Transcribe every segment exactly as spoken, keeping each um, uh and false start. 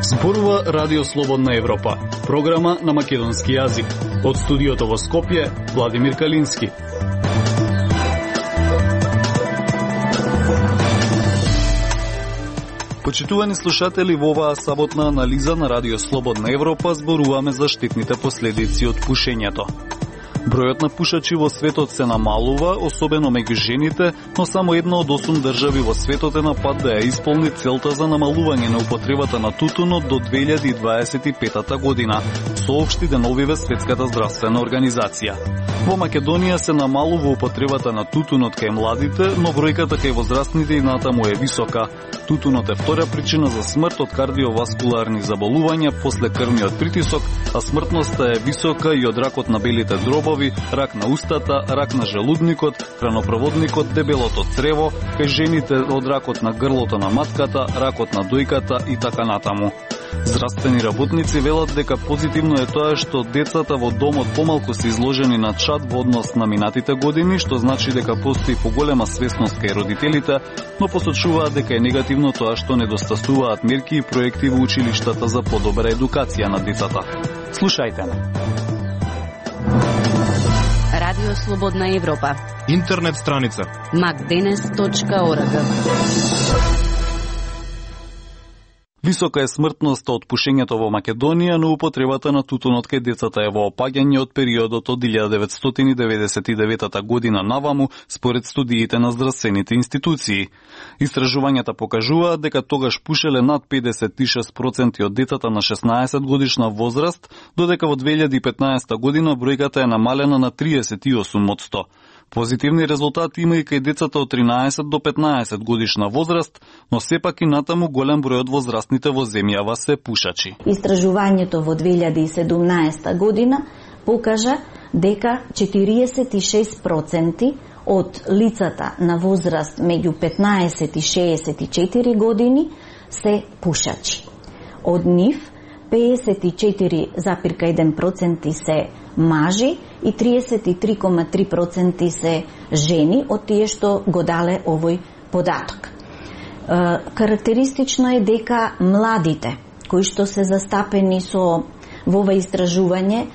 Зборува Радио Слободна Европа, програма на македонски јазик. Од студиото во Скопје, Владимир Калински. Почитувани слушатели, во оваа саботна анализа на Радио Слободна Европа зборуваме за штетните последици од пушењето. Бројот на пушачи во светот се намалува, особено меѓу жените, но само една од осум држави во светот е на пат да ја исполни целта за намалување на употребата на тутунот до две илјади дваесет и пета година, соопшти деновиве Светската здравствена организација. Во Македонија се намалува употребата на тутунот кај младите, но бројката кај возрастните и натаму е висока. Тутунот е втора причина за смрт од кардиоваскуларни заболувања после крвниот притисок, а смртноста е висока и од ракот на белите дробови, рак на устата, рак на желудникот, хранопроводникот, дебелото црево, кај жените од ракот на грлото на матката, ракот на дојката и така натаму. Здравствени работници велат дека позитивно е тоа што децата во домот помалку се изложени на чад во однос на минатите години, што значи дека постои поголема свесност кај родителите, но посочуваат дека е негативно тоа што недостасуваат мерки и проекти во училиштата за подобра едукација на децата. Слушајте ме. Радио Слободна Европа. Интернет страница макденес точка орг. Висока е смртноста од пушењето во Македонија, но употребата на тутунот кај децата е во опаѓање од периодот од илјада деветстотини деведесет и девета година наваму, според студиите на здравствените институции. Истражувањата покажуваат дека тогаш пушеле над педесет и шест проценти од децата на шеснаесет годишна возраст, додека во две илјади и петнаесета година бројката е намалена на триесет и осум од сто. Позитивни резултати има и кај децата од тринаесет до петнаесет годишна возраст, но сепак и натаму голем број од возрастните во земјава се пушачи. Истражувањето во две илјади и седумнаесета година покажа дека четириесет и шест проценти од лицата на возраст меѓу петнаесет и шеесет и четири години се пушачи. Од нив педесет и четири запирка еден проценти се мажи и триесет и три кома три проценти се жени од тие што го дале овој податок. Карактеристично е дека младите, кои што се застапени со во ова истражување,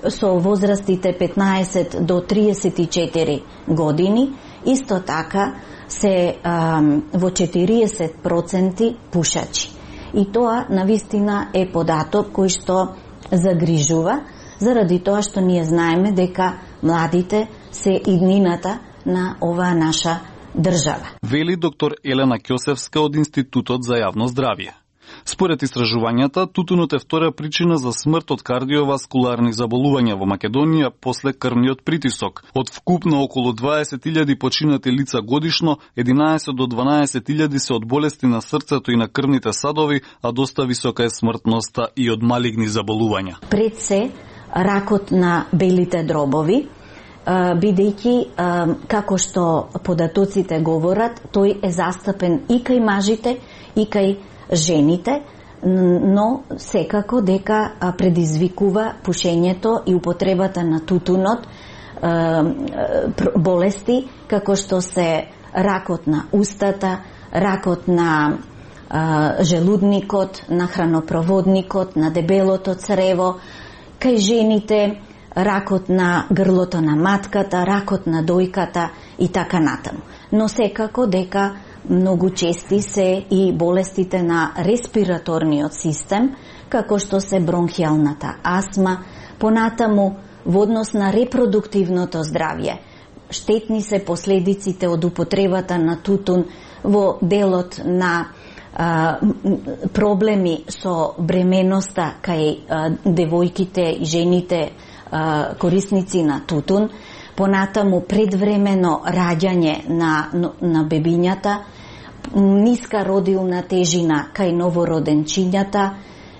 со возрастите петнаесет до триесет и четири години, исто така се а, во четириесет проценти пушачи. И тоа навистина е податок кој што загрижува, заради тоа што ние знаеме дека младите се иднината на оваа наша држава. Вели доктор Елена Ќосевска од Институтот за јавно здравје. Според истражувањата, тутунот е втора причина за смрт од кардиоваскуларни заболувања во Македонија после крвниот притисок. Од вкупно околу дваесет илјади починати лица годишно, единаесет до дванаесет илјади се од болести на срцето и на крвните садови, а доста висока е смртноста и од малигни заболувања. Пред се, ракот на белите дробови, бидејќи, како што податоците говорат, тој е застапен и кај мажите, и кај жените, но секако дека предизвикува пушењето и употребата на тутунот болести како што се ракот на устата, ракот на желудникот, на хранопроводникот, на дебелото црево, кај жените ракот на грлото на матката, ракот на дојката и така натаму. Но секако дека многу чести се и болестите на респираторниот систем, како што се бронхијалната астма, понатаму во однос на репродуктивното здравје. Штетни се последиците од употребата на тутун во делот на а, проблеми со бременоста кај а, девојките и жените а, корисници на тутун, понатаму предвремено раѓање на, на бебињата, ниска родилна тежина кај новороденчињата,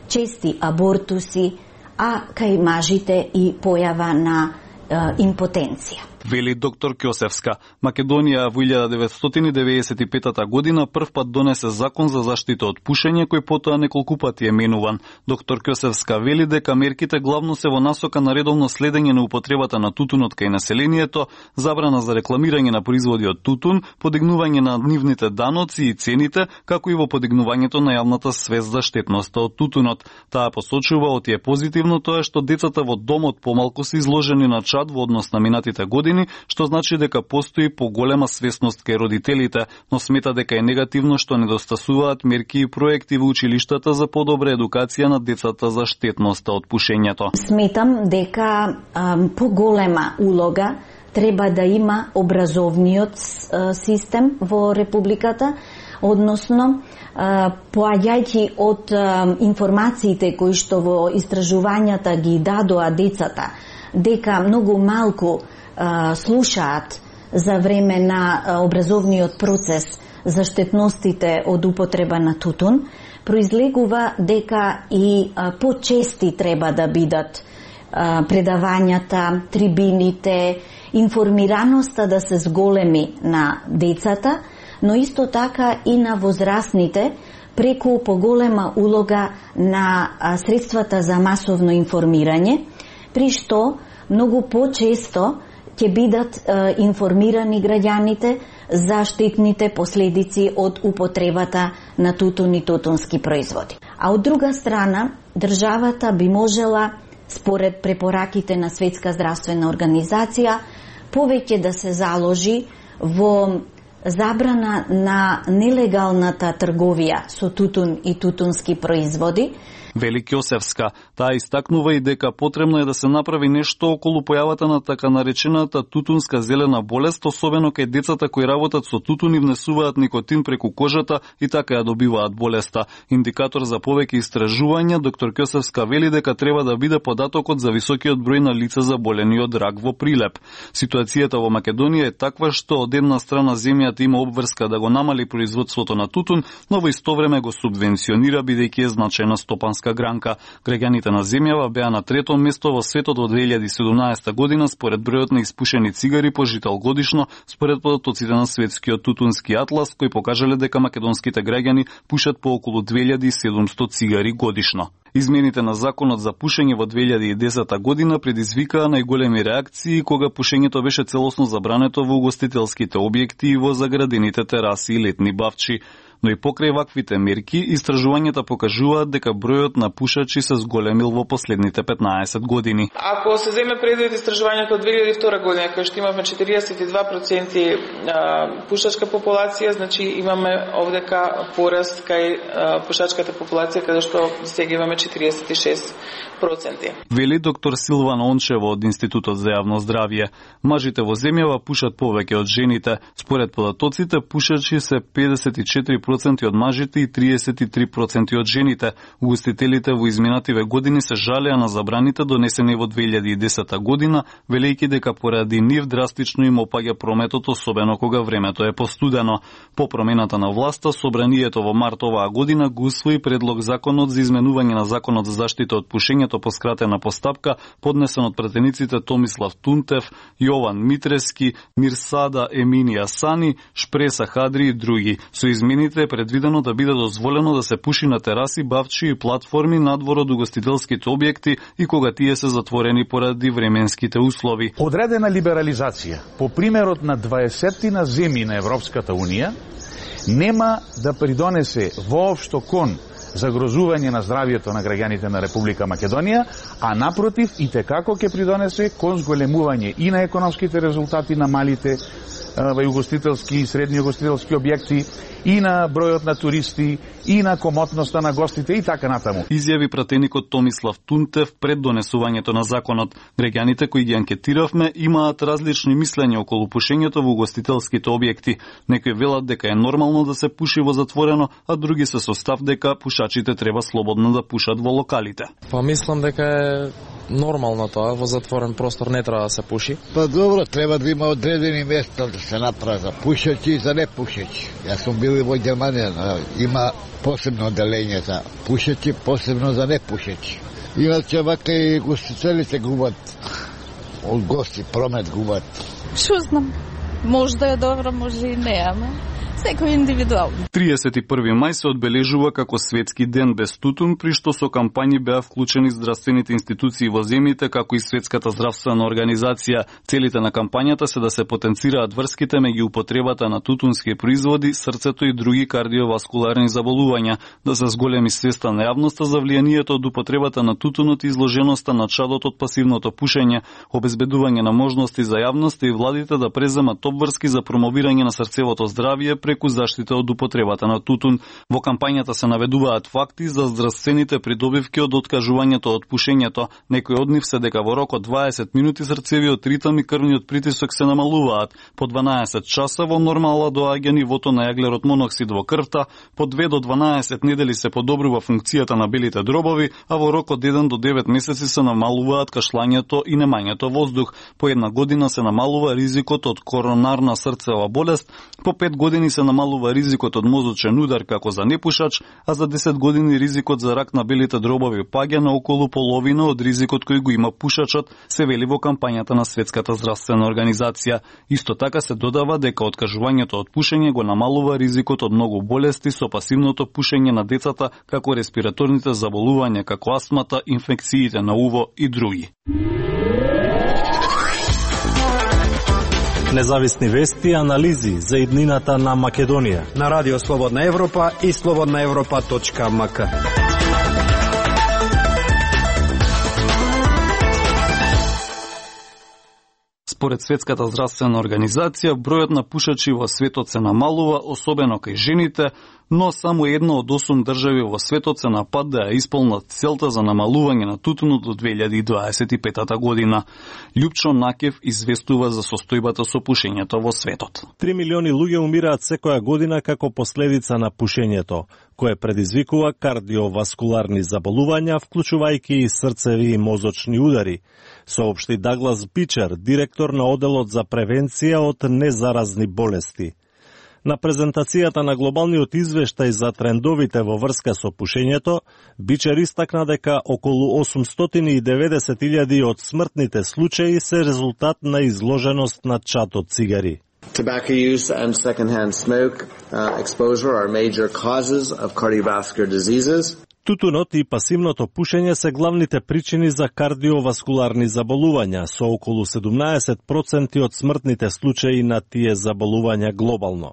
чести абортуси, а кај мажите и појава на е, импотенција. Вели доктор Ќосевска. Македонија во илјада деветстотини деветдесет и петата година прв пат донесе закон за заштита од пушење, кој потоа неколку пати е менуван. Доктор Ќосевска вели дека мерките главно се во насока на редовно следење на употребата на тутунот кај населението, забрана за рекламирање на производи од тутун, подигнување на нивните даноци и цените, како и во подигнувањето на јавната свест за штетноста од тутунот. Таа посочува оти е позитивно тоа што децата во домот помалку се изложени на чад во однос на минатите години, што значи дека постои поголема свесност кај родителите, но смета дека е негативно што недостасуваат мерки и проекти во училиштата за подобра едукација на децата за штетноста од пушењето. Сметам дека ам, поголема улога треба да има образовниот а, систем во Републиката, односно поаѓајќи од а, информациите кои што во истражувањата ги дадоа децата, дека многу малку а, слушаат за време на а, образовниот процес за штетностите од употреба на тутун, произлегува дека и а, почести треба да бидат а, предавањата, трибините, информираноста да се зголеми на децата, но исто така и на возрастните преку поголема улога на а, средствата за масовно информирање, при што многу почесто ќе бидат е, информирани граѓаните за штетните последици од употребата на тутун и тутунски производи. А од друга страна, државата би можела, според препораките на Светска здравствена организација, повеќе да се заложи во забрана на нелегалната трговија со тутун и тутунски производи. Вели Ќосевска. Таа истакнува и дека потребно е да се направи нешто околу појавата на така наречената тутунска зелена болест, особено кај децата кои работат со тутун и внесуваат никотин преку кожата и така ја добиваат болеста. Индикатор за повеќе истражувања, доктор Ќосевска вели дека треба да биде податокот за високиот број на лица заболени од рак во Прилеп. Ситуацијата во Македонија е таква што од една страна земјата има обврска да го намали производството на тутун, но во исто време го субвенционира бидејќи е значајна стопанска гранка. Граѓаните на земјава беа на трето место во светот во две илјади и седумнаесета година според бројот на испушени цигари по жител годишно, според податоците на Светскиот тутунски атлас, кои покажале дека македонските граѓани пушат по околу две илјади и седумсто цигари годишно. Измените на законот за пушење во две илјади и десета година предизвикаа најголеми реакции кога пушењето беше целосно забрането во угостителските објекти и во заградените тераси и летни бавчи. Но и покрај ваквите мерки, истражувањата покажуваат дека бројот на пушачи се зголемил во последните петнаесет години. Ако се земе предвид истражувањето од две илјади и втора година, кај што имавме четириесет и два проценти пушачка популација, значи имаме овдека пораст кај пушачката популација, каде што сега имаме четириесет и шест проценти. Вели доктор Силвана Ончева од Институтот за јавно здравје. Мажите во земјава пушат повеќе од жените. Според податоците, пушачи се педесет и четири проценти од мажите и триесет и три проценти од жените. Угостителите во изминативе години се жалеа на забраните донесени во две илјади и десета година, велејќи дека поради нив драстично им опаѓа прометот, особено кога времето е постудено. По промената на власта, собранието во март оваа година го усвои предлог законот за изменување на законот за заштита од пушењето по скратена постапка, поднесен од пратениците Томислав Тунтев, Јован Митрески, Мирсада Еминија Сани, Шпреса Хадри и други. Со измените е предвидено да биде дозволено да се пуши на тераси, бавчи и платформи надвор од угостителските објекти и кога тие се затворени поради временските услови. Одредена либерализација по примерот на дваесет земји на Европската Унија нема да придонесе воопшто кон загрозување на здравјето на граѓаните на Република Македонија, а напротив и текако ќе придонесе кон зголемување и на економските резултати на малите угостителски и средни угостителски објекти, и на бројот на туристи, и на комотноста на гостите и така натаму. Изјави пратеникот Томислав Тунтев пред донесувањето на законот. Граѓаните кои ги анкетиравме имаат различни мислења околу пушењето во угостителските објекти. Некои велат дека е нормално да се пуши во затворено, а други се со став дека пушачите треба слободно да пушат во локалите. Па мислам дека е нормално тоа, во затворен простор не треба да се пуши. Па добро, треба да има одредени места да се направи за пушачи и за непушачи. Јас сум бил и во Германија, има посебно оделење за пушачи, посебно за непушачи. Иначе вака и гостителите губат од гости промет губат. Што знам, може да е добро, може и не, ама секој индивидуално. триесет и први мај се одбележува како светски ден без тутун, при што со кампањи беа вклучени здравствените институции во земјите, како и Светската здравствена организација. Целите на кампањата се да се потенцираат врските меѓу употребата на тутунски производи, срцето и други кардиоваскуларни заболувања, да се зголеми свеста на јавноста за влијанието од употребата на тутунот и изложеноста на чадот од пасивното пушење, обезбедување на можности за јавноста и владите да преземат обврски за промовирање на срцевото здравје преку заштита од употребата на тутун. Во кампањата се наведуваат факти за здравствените придобивки од откажувањето од пушењето. Некои од нив се дека во рок од дваесет минути срцевиот ритам и крвниот притисок се намалуваат. По дванаесет часа во нормала доаѓа нивото на јаглерод моноксид во крвта, по две до дванаесет недели се подобрува функцијата на белите дробови, а во рок од еден до девет месеци се намалуваат кашлањето и немањето воздух. По една година се намалува ризикот од коронарна срцева болест, по пет години се намалува ризикот од мозочен удар како за непушач, а за десет години ризикот за рак на белите дробови паѓа на околу половина од ризикот кој го има пушачот, се вели во кампањата на Светската здравствена организација. Исто така се додава дека откажувањето од пушење го намалува ризикот од многу болести со пасивното пушење на децата, како респираторните заболувања како астмата, инфекциите на уво и други. Независни вести и анализи за иднината на Македонија на Радио Слободна Европа и слободна европа точка ем ка. Според Светската здравствена организација, бројот на пушачи во светот се намалува, особено кај жените, но само една од осум држави во светот се на пат да ја исполнат целта за намалување на тутунот до две илјади дваесет и пета година. Лјупчо Накев известува за состојбата со пушењето во светот. Три милиони луѓе умираат секоја година како последица на пушењето, кое предизвикува кардиоваскуларни заболувања, вклучувајќи и срцеви и мозочни удари, соопшти Даглас Бичер, директор на оделот за превенција од незаразни болести. На презентацијата на глобалниот извештај за трендовите во врска со пушењето, Бичер истакна дека околу осумстотини и деветдесет илјади од смртните случаи се резултат на изложеност на чад од цигари. Tobacco use and secondhand smoke uh, exposure are major causes of cardiovascular diseases. Тутунот и пасивното пушење се главните причини за кардиоваскуларни заболувања, со околу седумнаесет проценти од смртните случаи на тие заболувања глобално.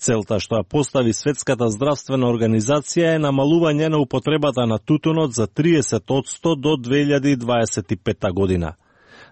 Целта што ја постави Светската здравствена организација е намалување на употребата на тутунот за триесет одсто до две илјади дваесет и пета година.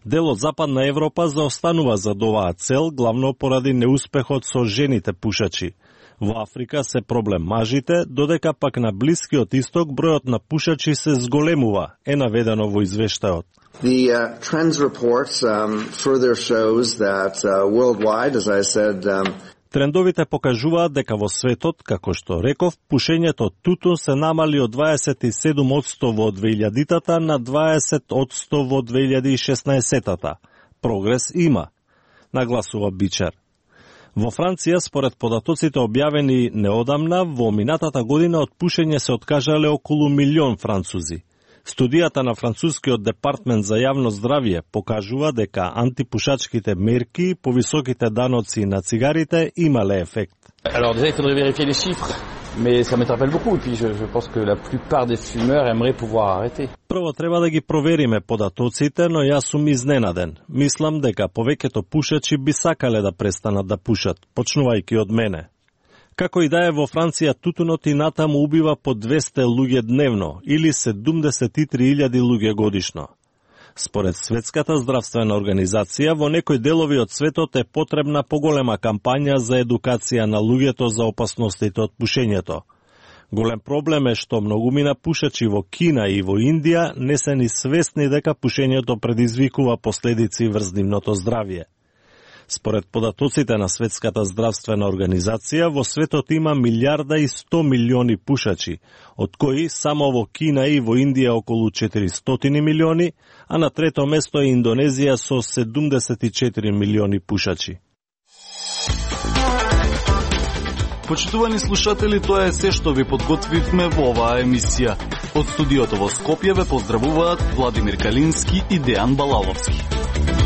Дел од Западна Европа заостанува за оваа цел, главно поради неуспехот со жените пушачи. Во Африка се проблем мажите, додека пак на Блискиот Исток бројот на пушачи се зголемува, е наведено во извештајот. The uh, trends report um, further shows that uh, worldwide, as I said, um, Трендовите покажуваат дека во светот, како што реков, пушењето тутун се намали од дваесет и седум одсто во две илјадитата на дваесет одсто во две илјади и шеснаесетата. Прогрес има, нагласува Бичер. Во Франција, според податоците објавени неодамна, во минатата година од пушење се откажале околу милион французи. Студијата на францускиот департмент за јавно здравје покажува дека антипушачките мерки, повисоките даноци на цигарите имале ефект. Alors déjà, il faudrait vérifier les chiffres, mais ça m'interpelle beaucoup et puis je, je pense que la plupart des fumeurs aimeraient pouvoir arrêter. Прво треба да ги провериме податоците, но јас сум изненаден. Мислам дека повеќето пушачи би сакале да престанат да пушат, почнувајќи од мене. Како и да е, во Франција тутунот и натаму убива по двесте луѓе дневно или седумдесет и три илјади луѓе годишно. Според Светската здравствена организација, во некои делови од светот е потребна поголема кампања за едукација на луѓето за опасностите од пушењето. Голем проблем е што многумина пушачи во Кина и во Индија не се ни свесни дека пушењето предизвикува последици врз нивното здравје. Според податоците на Светската здравствена организација, во светот има милијарда и сто милиони пушачи, од кои само во Кина и во Индија околу четиристотини милиони, а на трето место е Индонезија со седумдесет и четири милиони пушачи. Почитувани слушатели, тоа е се што ви подготвивме во оваа емисија. Од студиото во Скопје ве поздравуваат Владимир Калински и Дејан Балаловски.